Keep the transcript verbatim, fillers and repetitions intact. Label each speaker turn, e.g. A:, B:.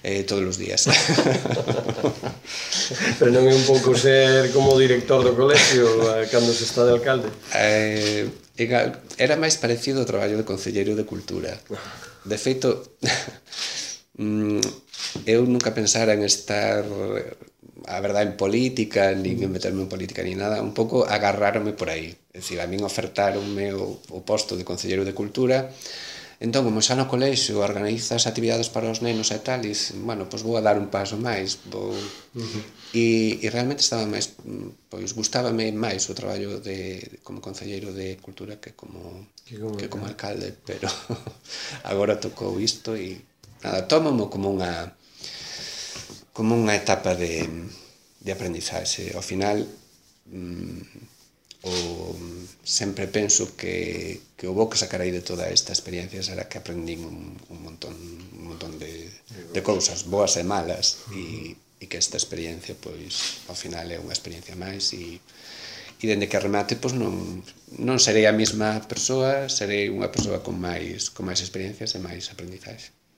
A: eh, todos os días.
B: Pero non é un pouco ser como director do colegio cando se está de alcalde?
A: Eh, era máis parecido ao traballo de concelleiro de cultura. De feito, eu nunca pensara en estar, a verdade, en política, nin en meterme en política, nin nada, un pouco agarrarme por aí. É dicir, a min ofertaronme o, o posto de concelleiro de cultura. Entón, como xa no colexio organizas actividades para os nenos e tal, e, bueno, pois vou a dar un paso máis, vou... Uh-huh. E, e realmente estaba máis, pois, gustábame máis o traballo de, como concelleiro de cultura que como, que como, que como alcalde, pero agora tocou isto e, nada, tómamo como unha, como unha etapa de, de aprendizaxe. Ao final, mmm, o, sempre penso que, que o bo que sacarei de toda esta experiencia será que aprendín un, un montón, un montón de, de cousas boas e malas e, e que esta experiencia, pois, ao final é unha experiencia máis e, e dende que remate, pois non, non serei a mesma persoa, serei unha persoa con máis, con máis experiencias e máis aprendizaxe.